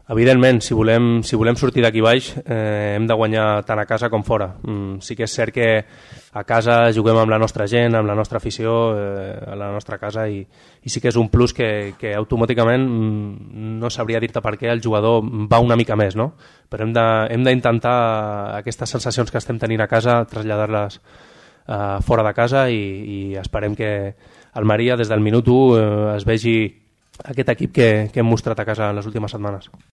Evidentment, si volem sortir d'aquí baix hem de guanyar tant a casa com fora. Sí que és cert que a casa juguem amb la nostra gent, amb la nostra afició, a la nostra casa, i sí que és un plus que automàticament no sabria dir-te per què el jugador va una mica més, no? Però hem d'intentar aquestes sensacions que estem tenint a casa traslladar-les fora de casa, i esperem que el Maria des del minut 1 es vegi aquest equip que hem mostrat a casa en les últimes setmanes.